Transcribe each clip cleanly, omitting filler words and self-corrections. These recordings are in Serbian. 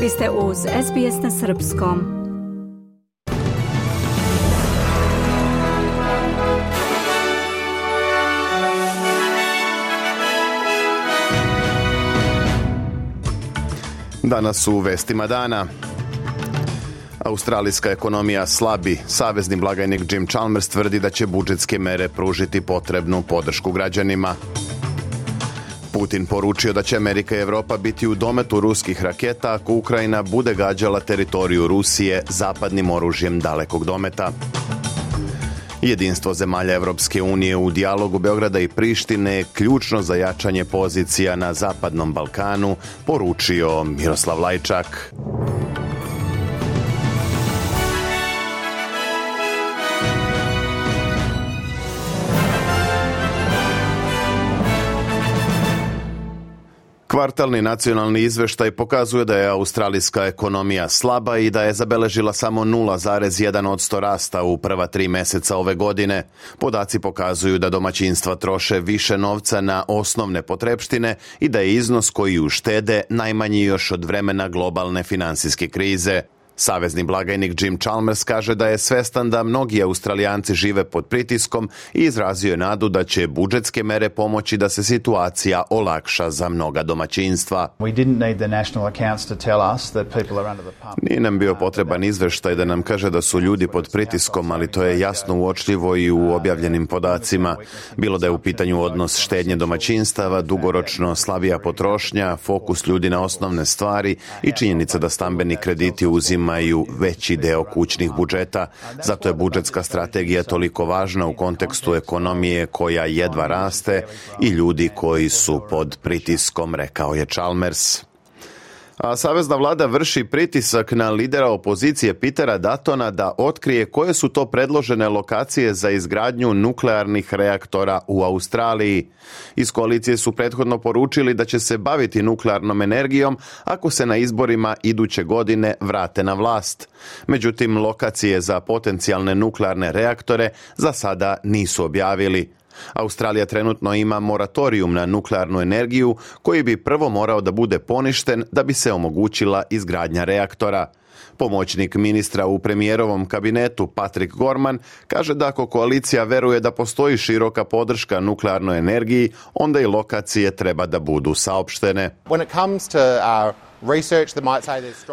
Vi ste uz SBS na srpskom. Danas u vestima dana. Australijska ekonomija slabi. Savezni blagajnik Jim Chalmers tvrdi da će budžetske mere pružiti potrebnu podršku građanima. Putin poručio da će Amerika i Evropa biti u dometu ruskih raketa ako Ukrajina bude gađala teritoriju Rusije zapadnim oružjem dalekog dometa. Jedinstvo zemalja Evropske unije u dijalogu Beograda i Prištine je ključno za jačanje pozicija na Zapadnom Balkanu, poručio Miroslav Lajčak. Kvartalni nacionalni izveštaj pokazuje da je australijska ekonomija slaba i da je zabeležila samo 0,1% rasta u prva 3 meseca ove godine. Podaci pokazuju da domaćinstva troše više novca na osnovne potrepštine i da je iznos koji uštede najmanji još od vremena globalne finansijske krize. Savezni blagajnik Jim Chalmers kaže da je svestan da mnogi Australijanci žive pod pritiskom i izrazio je nadu da će budžetske mere pomoći da se situacija olakša za mnoga domaćinstva. Nije nam bio potreban izveštaj da nam kaže da su ljudi pod pritiskom, ali to je jasno uočljivo i u objavljenim podacima. Bilo da je u pitanju odnos štednje domaćinstava, dugoročno slabija potrošnja, fokus ljudi na osnovne stvari i činjenica da stambeni krediti uzimaju veći deo kućnih budžeta. Zato je budžetska strategija toliko važna u kontekstu ekonomije koja jedva raste i ljudi koji su pod pritiskom, rekao je Chalmers. A savezna vlada vrši pritisak na lidera opozicije Petera Duttona da otkrije koje su to predložene lokacije za izgradnju nuklearnih reaktora u Australiji. Iz koalicije su prethodno poručili da će se baviti nuklearnom energijom ako se na izborima iduće godine vrate na vlast. Međutim, lokacije za potencijalne nuklearne reaktore za sada nisu objavili. Australija trenutno ima moratorijum na nuklearnu energiju koji bi prvo morao da bude poništen da bi se omogućila izgradnja reaktora. Pomoćnik ministra u premijerovom kabinetu Patrick Gorman kaže da ako koalicija veruje da postoji široka podrška nuklearnoj energiji, onda i lokacije treba da budu saopštene.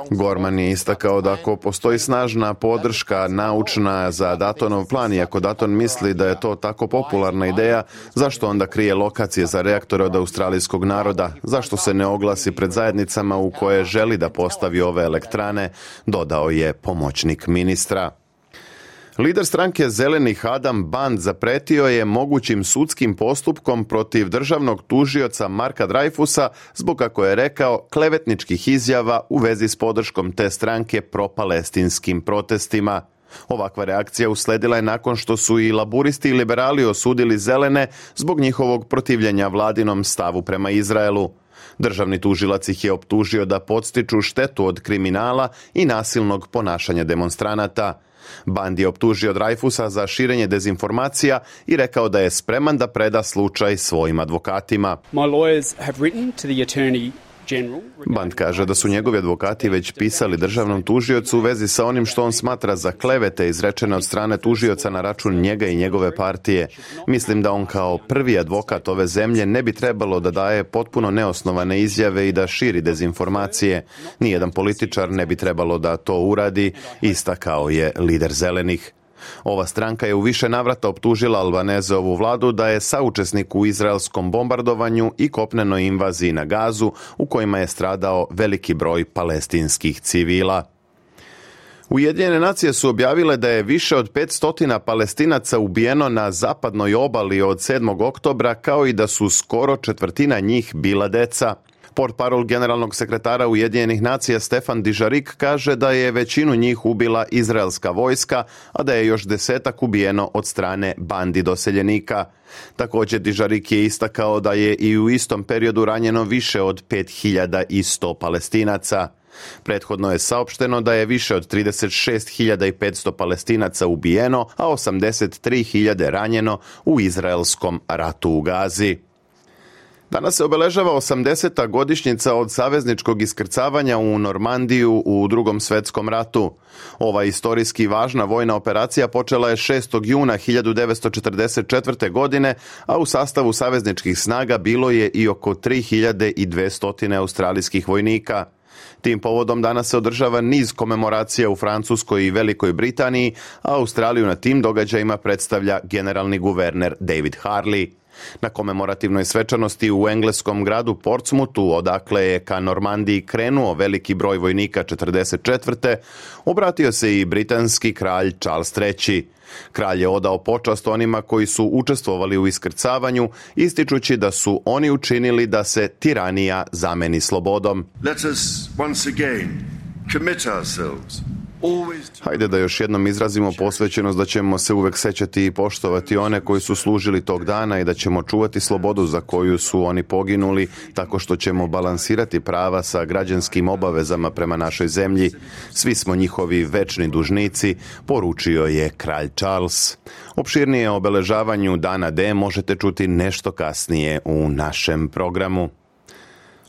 Gorman je istakao da ako postoji snažna podrška naučna za Duttonov plan i ako Dutton misli da je to tako popularna ideja, zašto onda krije lokacije za reaktore od australijskog naroda? Zašto se ne oglasi pred zajednicama u koje želi da postavi ove elektrane, dodao je pomoćnik ministra. Lider stranke Zelenih Adam Band zapretio je mogućim sudskim postupkom protiv državnog tužioca Marka Dreyfusa zbog, kako je rekao, klevetničkih izjava u vezi s podrškom te stranke propalestinskim protestima. Ovakva reakcija usledila je nakon što su i laburisti i liberali osudili Zelene zbog njihovog protivljenja vladinom stavu prema Izraelu. Državni tužilac ih je optužio da podstiču štetu od kriminala i nasilnog ponašanja demonstranata. Band je optužio Dreyfusa za širenje dezinformacija i rekao da je spreman da preda slučaj svojim advokatima. Band kaže da su njegovi advokati već pisali državnom tužiocu u vezi sa onim što on smatra za klevete izrečene od strane tužioca na račun njega i njegove partije. Mislim da on kao prvi advokat ove zemlje ne bi trebalo da daje potpuno neosnovane izjave i da širi dezinformacije. Nijedan političar ne bi trebalo da to uradi, istakao je lider Zelenih. Ova stranka je u više navrata optužila Albanezeovu vladu da je saučesnik u izraelskom bombardovanju i kopnenoj invaziji na Gazu u kojima je stradao veliki broj palestinskih civila. Ujedinjene nacije su objavile da je više od 500 Palestinaca ubijeno na zapadnoj obali od 7. oktobra, kao i da su skoro četvrtina njih bila deca. Portparol generalnog sekretara Ujedinjenih nacija Stefan Dujarric kaže da je većinu njih ubila izraelska vojska, a da je još 10 ubijeno od strane bandi doseljenika. Također Dujarric je istakao da je i u istom periodu ranjeno više od 5100 Palestinaca. Prethodno je saopšteno da je više od 36.500 Palestinaca ubijeno, a 83.000 ranjeno u izraelskom ratu u Gazi. Danas se obeležava 80. godišnjica od savezničkog iskrcavanja u Normandiju u Drugom svjetskom ratu. Ova istorijski važna vojna operacija počela je 6. juna 1944. godine, a u sastavu savezničkih snaga bilo je i oko 3200 australijskih vojnika. Tim povodom danas se održava niz komemoracija u Francuskoj i Velikoj Britaniji, a Australiju na tim događajima predstavlja generalni guverner David Harley. Na komemorativnoj svečanosti u engleskom gradu Portsmouthu, odakle je ka Normandiji krenuo veliki broj vojnika 44. obratio se i britanski kralj Charles III. Kralj je odao počast onima koji su učestvovali u iskrcavanju, ističući da su oni učinili da se tiranija zameni slobodom. Let us once again commit ourselves. Hajde da još jednom izrazimo posvećenost da ćemo se uvek sećati i poštovati one koji su služili tog dana i da ćemo čuvati slobodu za koju su oni poginuli, tako što ćemo balansirati prava sa građanskim obavezama prema našoj zemlji. Svi smo njihovi večni dužnici, poručio je kralj Charles. Opširnije o obeležavanju Dana D možete čuti nešto kasnije u našem programu.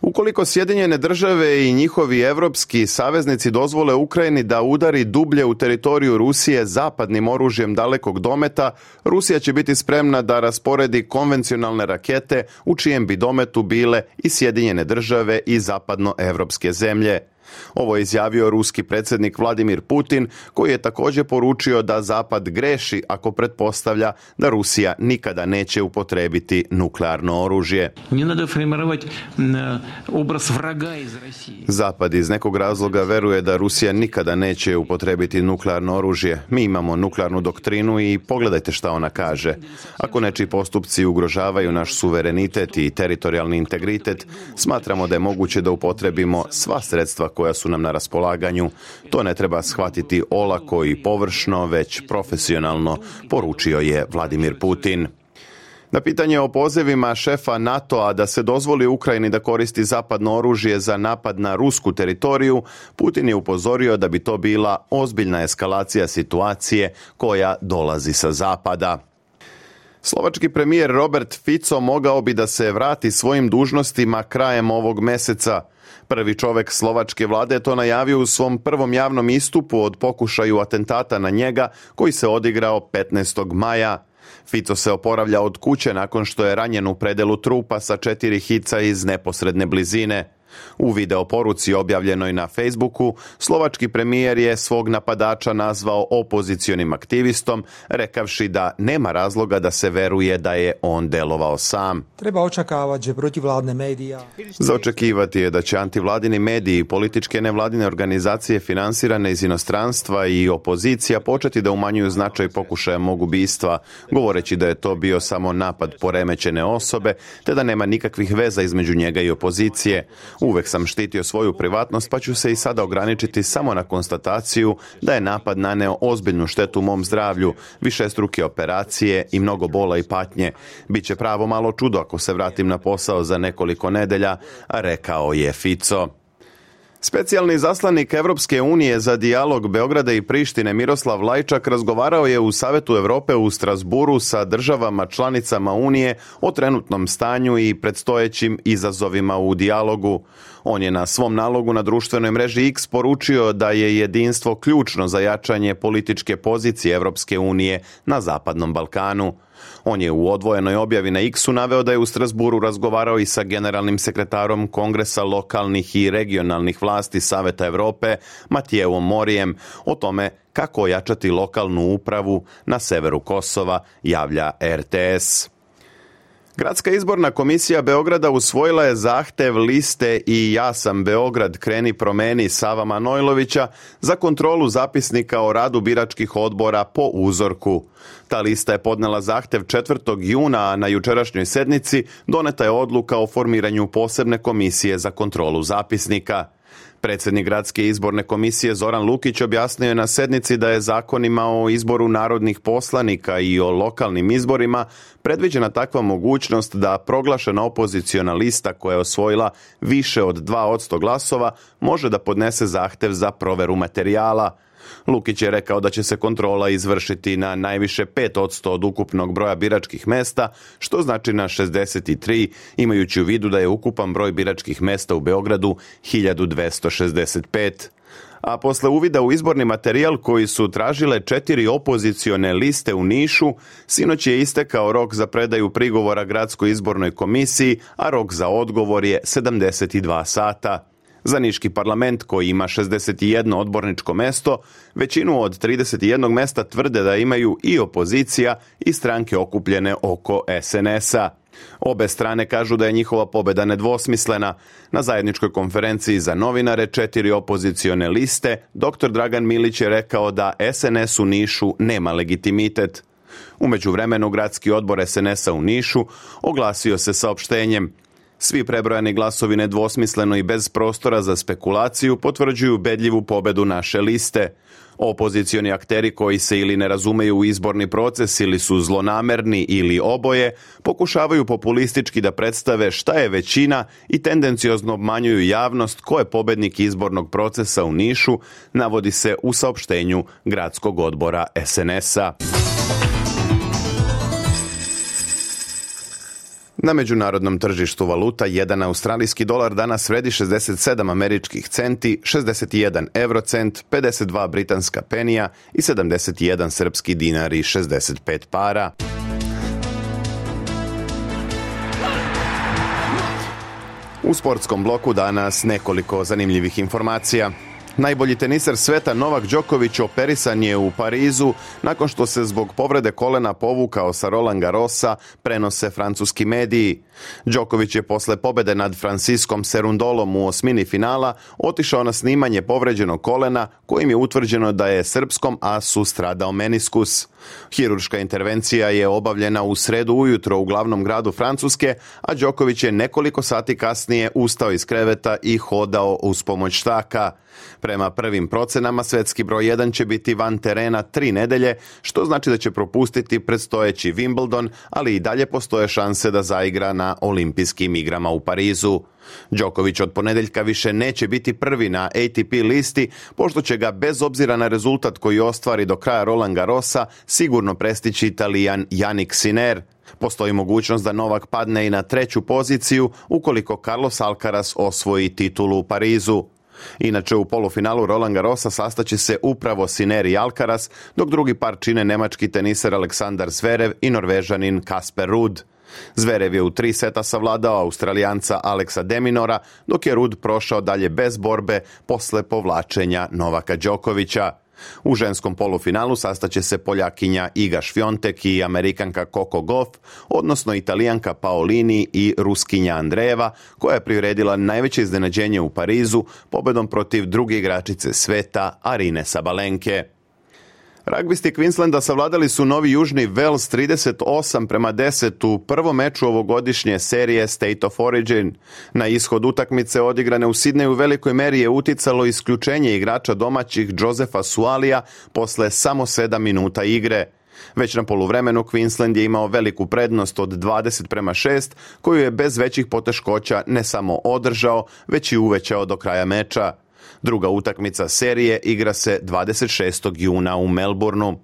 Ukoliko Sjedinjene države i njihovi evropski saveznici dozvole Ukrajini da udari dublje u teritoriju Rusije zapadnim oružjem dalekog dometa, Rusija će biti spremna da rasporedi konvencionalne rakete u čijem bi dometu bile i Sjedinjene države i zapadnoevropske zemlje. Ovo je izjavio ruski predsjednik Vladimir Putin, koji je također poručio da Zapad greši ako pretpostavlja da Rusija nikada neće upotrijebiti nuklearno oružje. Zapad iz nekog razloga veruje da Rusija nikada neće upotrijebiti nuklearno oružje. Mi imamo nuklearnu doktrinu i pogledajte šta ona kaže. Ako nečiji postupci ugrožavaju naš suverenitet i teritorijalni integritet, smatramo da je moguće da upotrijebimo sva sredstva koja su nam na raspolaganju. To ne treba shvatiti olako i površno, već profesionalno, poručio je Vladimir Putin. Na pitanje o pozivima šefa NATO-a da se dozvoli Ukrajini da koristi zapadno oružje za napad na rusku teritoriju, Putin je upozorio da bi to bila ozbiljna eskalacija situacije koja dolazi sa zapada. Slovački premijer Robert Fico mogao bi da se vrati svojim dužnostima krajem ovog meseca. Prvi čovjek slovačke vlade je to najavio u svom prvom javnom istupu od pokušaju atentata na njega koji se odigrao 15. maja. Fico se oporavlja od kuće nakon što je ranjen u predelu trupa sa 4 hica iz neposredne blizine. U video poruci objavljenoj na Facebooku, slovački premijer je svog napadača nazvao opozicionim aktivistom, rekavši da nema razloga da se veruje da je on delovao sam. Treba očekavati, že protivladne medija. Za očekivati je da će antivladini mediji i političke nevladine organizacije finansirane iz inostranstva i opozicija početi da umanjuju značaj pokušaja mog ubistva, govoreći da je to bio samo napad poremećene osobe, te da nema nikakvih veza između njega i opozicije. Uvek sam štitio svoju privatnost, pa ću se i sada ograničiti samo na konstataciju da je napad naneo ozbiljnu štetu mom zdravlju, višestruke operacije i mnogo bola i patnje. Biće pravo malo čudo ako se vratim na posao za nekoliko nedelja, rekao je Fico. Specijalni zaslanik Evropske unije za dijalog Beograda i Prištine Miroslav Lajčak razgovarao je u Savetu Europe u Strasburu sa državama članicama Unije o trenutnom stanju i predstojećim izazovima u dijalogu. On je na svom nalogu na društvenoj mreži X poručio da je jedinstvo ključno za jačanje političke pozicije Evropske unije na Zapadnom Balkanu. On je u odvojenoj objavi na X-u naveo da je u Strasburu razgovarao i sa generalnim sekretarom Kongresa lokalnih i regionalnih vlasti Saveta Europe Matijevom Morijem o tome kako ojačati lokalnu upravu na severu Kosova, javlja RTS. Gradska izborna komisija Beograda usvojila je zahtev liste I ja sam Beograd, kreni promeni Sava Manojlovića za kontrolu zapisnika o radu biračkih odbora po uzorku. Ta lista je podnela zahtev 4. juna, a na jučerašnjoj sednici doneta je odluka o formiranju posebne komisije za kontrolu zapisnika. Predsjednik Gradske izborne komisije Zoran Lukić objasnio je na sednici da je zakonima o izboru narodnih poslanika i o lokalnim izborima predviđena takva mogućnost da proglašena opoziciona lista koja je osvojila više od 2% glasova može da podnese zahtev za proveru materijala. Lukić je rekao da će se kontrola izvršiti na najviše 5% od ukupnog broja biračkih mesta, što znači na 63, imajući u vidu da je ukupan broj biračkih mesta u Beogradu 1265. A posle uvida u izborni materijal koji su tražile 4 opozicione liste u Nišu, sinoć je istekao rok za predaju prigovora Gradskoj izbornoj komisiji, a rok za odgovor je 72 sata. Za niški parlament, koji ima 61 odborničko mesto, većinu od 31 mesta tvrde da imaju i opozicija i stranke okupljene oko SNS-a. Obe strane kažu da je njihova pobeda nedvosmislena. Na zajedničkoj konferenciji za novinare 4 opozicione liste, dr. Dragan Milić je rekao da SNS u Nišu nema legitimitet. U međuvremenu gradski odbor SNS-a u Nišu oglasio se saopštenjem: svi prebrojani glasovi nedvosmisleno i bez prostora za spekulaciju potvrđuju ubedljivu pobedu naše liste. Opozicioni akteri koji se ili ne razumeju u izborni proces ili su zlonamerni ili oboje, pokušavaju populistički da predstave šta je većina i tendenciozno obmanjuju javnost ko je pobednik izbornog procesa u Nišu, navodi se u saopštenju gradskog odbora SNS-a. Na međunarodnom tržištu valuta 1 australijski dolar danas vredi 67 američkih centi, 61 eurocent, 52 britanska penija i 71 srpski dinar i 65 para. U sportskom bloku danas nekoliko zanimljivih informacija. Najbolji teniser sveta Novak Đoković operisan je u Parizu nakon što se zbog povrede kolena povukao sa Roland Garrosa, prenose francuski mediji. Đoković je posle pobede nad Franciskom Cerundolom u osmini finala otišao na snimanje povređenog kolena, kojim je utvrđeno da je srpskom asu stradao meniskus. Hirurška intervencija je obavljena u sredu ujutro u glavnom gradu Francuske, a Đoković je nekoliko sati kasnije ustao iz kreveta i hodao uz pomoć štaka. Prema prvim procenama, svetski broj 1 će biti van terena 3 nedelje, što znači da će propustiti predstojeći Wimbledon, ali i dalje postoje šanse da zaigra na olimpijskim igrama u Parizu. Đoković od ponedeljka više neće biti prvi na ATP listi, pošto će ga bez obzira na rezultat koji ostvari do kraja Roland Garrosa sigurno prestići Italijan Jannik Sinner. Postoji mogućnost da Novak padne i na 3. poziciju ukoliko Carlos Alcaraz osvoji titulu u Parizu. Inače, u polufinalu Roland Garrosa sastaće se upravo Sinner i Alcaraz, dok drugi par čine nemački teniser Aleksandar Zverev i Norvežanin Kasper Ruud. Zverev je u 3 seta savladao Australijanca Alexa de Minaura, dok je Ruud prošao dalje bez borbe posle povlačenja Novaka Đokovića. U ženskom polufinalu sastaće se Poljakinja Iga Švjontek i Amerikanka Coco Gauff, odnosno Italijanka Paolini i Ruskinja Andreeva, koja je priredila najveće iznenađenje u Parizu pobedom protiv druge igračice sveta Arine Sabalenke. Ragbisti Queenslanda savladali su Novi Južni Wales 38-10 u prvom meču ovogodišnje serije State of Origin. Na ishod utakmice odigrane u Sidneju u velikoj meri je uticalo isključenje igrača domaćih Josefa Sualija posle samo 7 minuta igre. Već na poluvremenu Queensland je imao veliku prednost od 20-6, koju je bez većih poteškoća ne samo održao, već i uvećao do kraja meča. Druga utakmica serije igra se 26. juna u Melbourneu.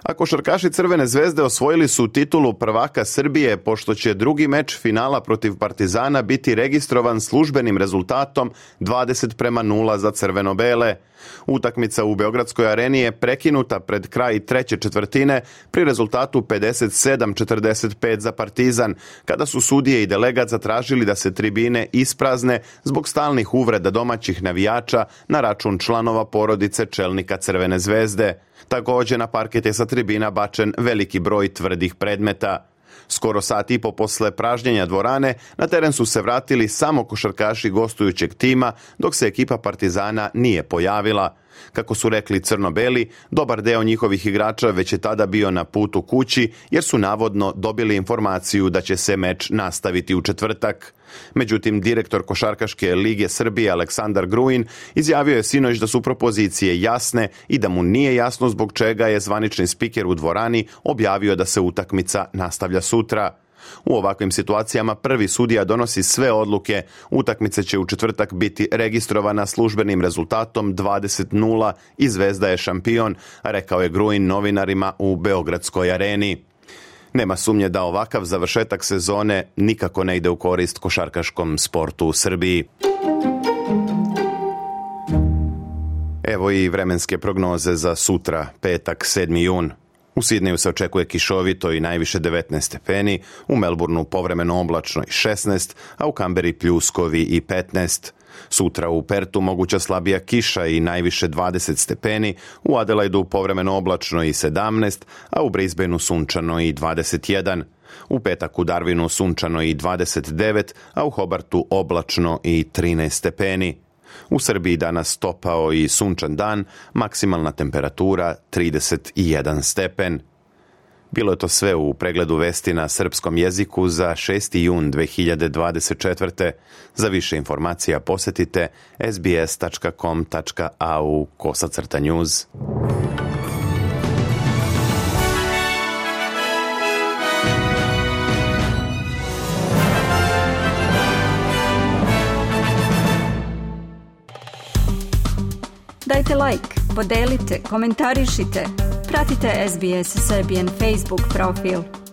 A košarkaši Crvene zvezde osvojili su titulu prvaka Srbije, pošto će drugi meč finala protiv Partizana biti registrovan službenim rezultatom 20-0 za crveno-bele. Utakmica u Beogradskoj areni je prekinuta pred kraj treće četvrtine pri rezultatu 57-45 za Partizan, kada su sudije i delegat zatražili da se tribine isprazne zbog stalnih uvreda domaćih navijača na račun članova porodice čelnika Crvene zvezde. Također na parket je sa tribina bačen veliki broj tvrdih predmeta. Skoro sat i po posle pražnjenja dvorane na teren su se vratili samo košarkaši gostujućeg tima, dok se ekipa Partizana nije pojavila. Kako su rekli crno-beli, dobar deo njihovih igrača već je tada bio na putu kući, jer su navodno dobili informaciju da će se meč nastaviti u četvrtak. Međutim, direktor Košarkaške lige Srbije Aleksandar Gruin izjavio je sinoć da su propozicije jasne i da mu nije jasno zbog čega je zvanični spiker u dvorani objavio da se utakmica nastavlja sutra. U ovakvim situacijama prvi sudija donosi sve odluke. Utakmica će u četvrtak biti registrovana službenim rezultatom 20:0 i Zvezda je šampion, rekao je Gruin novinarima u Beogradskoj areni. Nema sumnje da ovakav završetak sezone nikako ne ide u korist košarkaškom sportu u Srbiji. Evo i vremenske prognoze za sutra, petak, 7. jun. U Sidneju se očekuje kišovito i najviše 19 stepeni, u Melbourneu povremeno oblačno i 16, a u Kamberi pljuskovi i 15. Sutra u Pertu moguća slabija kiša i najviše 20 stepeni, u Adelaidu povremeno oblačno i 17, a u Brisbaneu sunčano i 21. U petak u Darwinu sunčano i 29, a u Hobartu oblačno i 13 stepeni. U Srbiji danas topao i sunčan dan, maksimalna temperatura 31 stepen. Bilo je to sve u pregledu vesti na srpskom jeziku za 6. jun 2024. Za više informacija posjetite sbs.com.au/news. Dajte like, podelite, komentarišite. Pratite SBS Serbian Facebook profil.